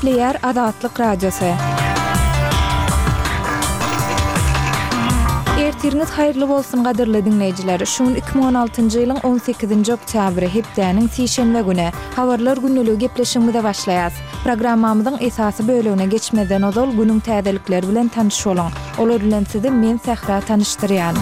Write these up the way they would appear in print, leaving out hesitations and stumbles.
Gepleýär Azatlyk Radiosy. Ertiriňiz haýyrly bolsun gadyrly diňleýjiler! Şu gün 2016-njy ýylyň on sekizinji oktýabry, hepdäniň sişenbe güni. Habarlar gündeligi gepleşigimize başlaýas. Programmamyzyň esasy bölegine geçmezden ozal günüň täzelikleri bilen tanyş boluň. Olar bilen sizi men Sähra tanyşdyrýan.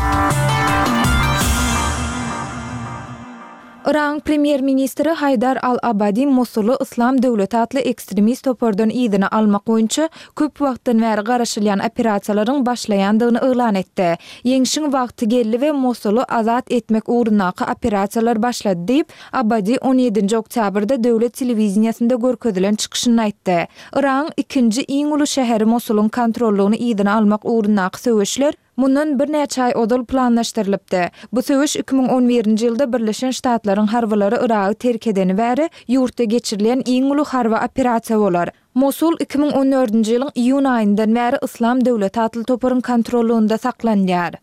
Yragyň premýer-ministri Haýdar al-Abadi Mosuly Yslam döwleti atly ekstremist topardan yzyna almak boýunça köp wagtdan bäri garaşylýan operasiýalaryň başlaýandygyny yglan etdi. Ýeňşiň wagty geldi we Mosuly azat etmek ugrundaky operasiýalar başlady diýip, Abadi on ýedinji oktýabrda döwlet telewideniýesinde görkezilen çykyşynda aýtdy. Yragyň ikinji iň uly şäheri Mosulyň kontrollygyny yzyna almak ugrundaky söweşler Mundan birnäçe aý ozal planlaşdyrylypdy. Bu söweş 2011-nji ýylda Birleşen Ştatlaryň harbylary Yragy terk edeni bäri ýurtda geçirilýän iň uly harby operasiýa bolar. Mosul 2014-nji ýylyň iýun aýyndan bäri Yslam döwleti atly toparyň kontrollygynda saklanýar.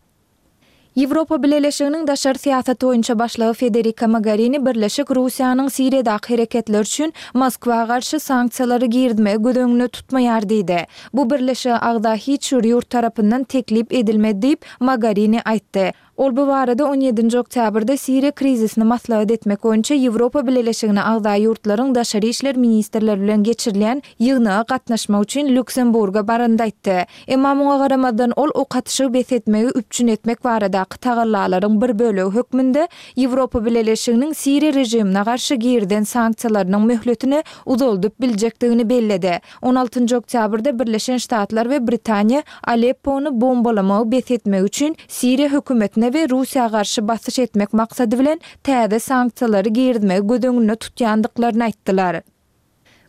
Ýewropa Bileleşiginiň daşary syýasat boýunça başlygy Federika Mogarini Birleşik Russiýanyň Siriýadaky hereketleri üçin Moskwa garşy sanksiýalary girizmegi göz öňünde tutmaýar diýdi. Bu birleşige agza hiç bir ýurt tarapyndan teklip edilmedi diýip, Mogarini aýtdy. Ol bu barada on ýedinji oktýabrda Siriýa krizisini maslahat etmek boýunça Ýewropa Bileleşigine agza ýurtlaryň daşary işler ministrleri bilen geçirilýän ýygnaga gatnaşmak üçin Lýuksemburga baranda aýtdy. Emma muňa garamazdan ol ok atyşygy bes etmegi üpjün etmek baradaky tagallalaryň bir bölegi hökmünde Ýewropa Bileleşiginiň Siriýa režimine garşy girizen sanksiýalarynyň möhletini uzaldyp biljekdigini belledi. On altynjy oktýabrda Birleşen Ştatlar we Britaniýa Aleppony bombalamagy bes etmegi üçin Siriýa hökümetine we Russiýa garşy basyş etmek maksady bilen täze sanksiýalary girizmegi göz öňünde tutýandyklaryny aýtdylar.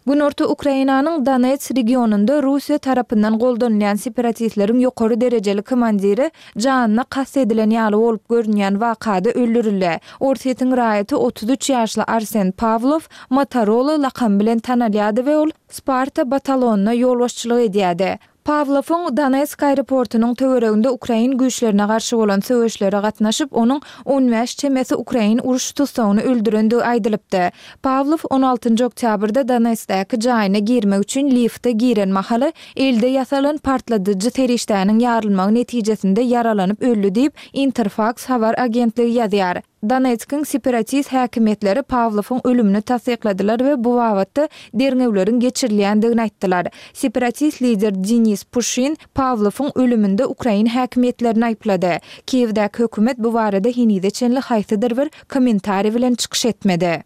Günorta Ukrainanyň Donets regionynda Russiýa tarapyndan goldanylýan separatistleriň ýokary derejeli komandiri janyna kast edilen ýaly bolup görünýän wakada öldürildi. Orsýetiň raýaty 33 ýaşly Arsen Pawlow Motorola lakamy bilen tanalýardy we ol Sparta batalonyna ýolbaşçylyk edýärdi. Pawlowyň Donetsk aeroportunyň töwereginde ukrain güýçlerine garşy bolan söweşlere gatnaşyp, onuň on bäş çemesi ukrain uruş tussagyny öldürendigi aýdylypdy. Pawlow on altynjy oktýabrda Donetskdäki jaýyna girmek üçin lifte giren mahaly elde ýasalan partladyjy serişdäniň ýarylmagy netijesinde ýaralanyp öldi diýip, Interfaks habar agentligi ýazýar. Donetskiň separatist häkimiýetleri Pawlowyň ölümini tassykladylar we bu babatda derňewleriň geçirilýändigini aýtdylar. Separatist lider Denis Puşin Pawlowyň ölüminde ukrain häkimiýetlerini aýyplady. Kiýewdäki hökümet bu barada henize çenli haýsydyr bir kommentariý bilen çykyş etmedi.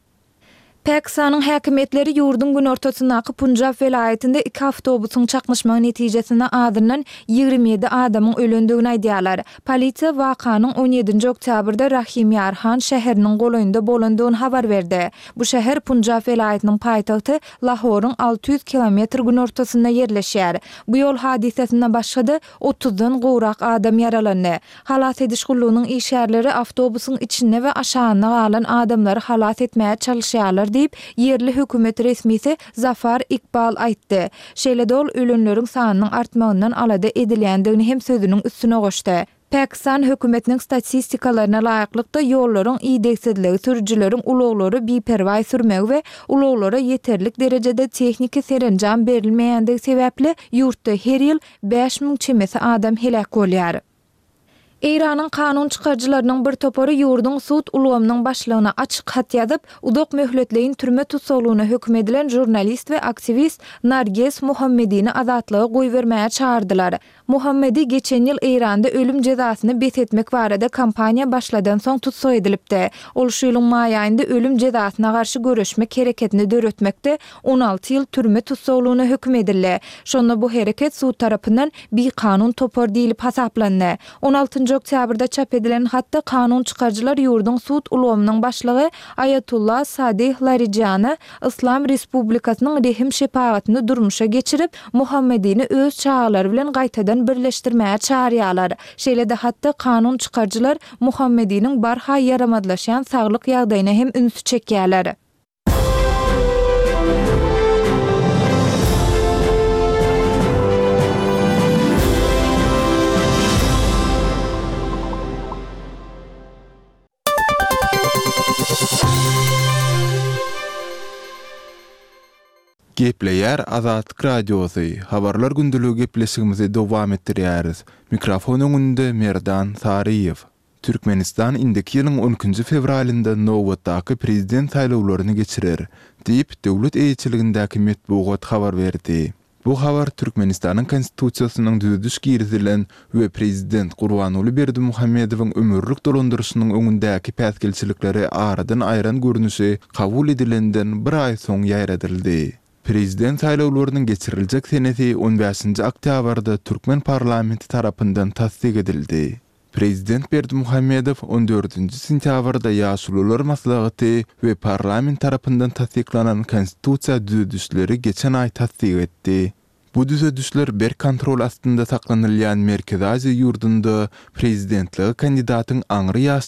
Pakistanyň häkimiýetleri ýurduň günortasyndaky Punjab welaýatynda iki awtobusyň çaknyşmagy netijesinde azyndan 27 adamyň ölendigini aýdýarlar. Polisiýa wakanyň on ýedinji oktýabrda Rahim Ýar Han şäheriniň golaýynda bolandygyny habar berdi. Bu şäher Punjab welaýatynyň paýtagty Lahoryň 600 kilometr günortasynda ýerleşýär. Bu ýol hadysasynda başga-da otuzdan gowrak adam ýaralandy. Halas ediş gullugynyň işgärleri awtobusyň içinde we aşagynda galan adamlary halas etmäge çalyşýarlar diýip, ýerli hökümet resmisi Zafar Ikbal aýtdy. Şeýle-de ol ölenleriň sanynyň artmagyndan alada edilýändigini hem sözüniň üstüne goşdy. Pakistan hökümetiniň statistikalaryna laýyklykda, ýollaryň idegsizligi, sürüjileriň ulaglary biperwaý sürmegi we ulaglara ýeterlik derejede tehniki serenjam berilmeýändigi sebäpli ýurtda her ýyl 5000 çemesi adam heläk bolýar. Eýranyň kanun çykaryjylarynyň bir topary ýurduň sud ulgamynyň başlygyna açyk hat ýazyp, uzak möhletleýin türme tussaglygyna höküm edilen žurnalist we aktiwist Narges Mohammedini azatlyga goýbermäge çagyrdylar. Mohammedi geçen ýyl Eýranda ölüm jezasyny bes etmek barada kampaniýa başladansoň tussag edilipdi. Ol şu ýylyň maý aýynda ölüm jezasyna garşy göreşmek hereketini döretmekde 16 ýyl türme tussaglygyna höküm edildi. Şonda bu hereket sud tarapyndan bikanun topar diýlip hasaplandy. On altynjy oktýabrda çap edilen hatda kanun çykaryjylar ýurduň sud ulgamynyň başlygy Aýatullah Sadih Larijana Yslam Respublikasynyň rehim-şepagatyny durmuşa geçirip, Muhammedini öz çagalary bilen gaýtadan birleşdirmäge çagyrýarlar. Şeýle-de hatda kanun çykaryjylar Muhammediniň barha ýaramazlaşýan saglyk ýagdaýyna hem ünsi çekýärler. Gepleýär Azatlyk Radiosy, Habarlar gündeligi gepleşigimizi dowam etdirýäris. Mikrofon öňünde Merdan Saryýew. Türkmenistan indiki ýylyň on ikinji fewralynda nobatdaky prezident saýlawlaryny geçirer, diýip, döwlet eýeçiligindäki metbugat habar berdi. Bu habar Türkmenistanyň Konstitusiýasynyň düzediş girizilen we prezident Gurbanguly Berdimuhamedowyň ömürlik dolandyryşynyň öňündäki päsgelçilikleri aradan aýran görnüşi kabul edilenden bir aý soň ýaýradyldy. Prezident saýlawlarynyň geçiriljek senesi on bäşinji oktýabrda türkmen parlamenti tarapyndan tassyk edildi. Prezident Berdimuhamedow on dördünji sentýabrda Ýaşulular maslahaty we parlament tarapyndan tassyklanan Konstitusiýa düzedişleri geçen aý tassyk etdi. Bu düzedişler berk kontrol astynda saklanylýan Merkezi Aziýa ýurdunda prezidentlige kandidatyň aňry ýaş.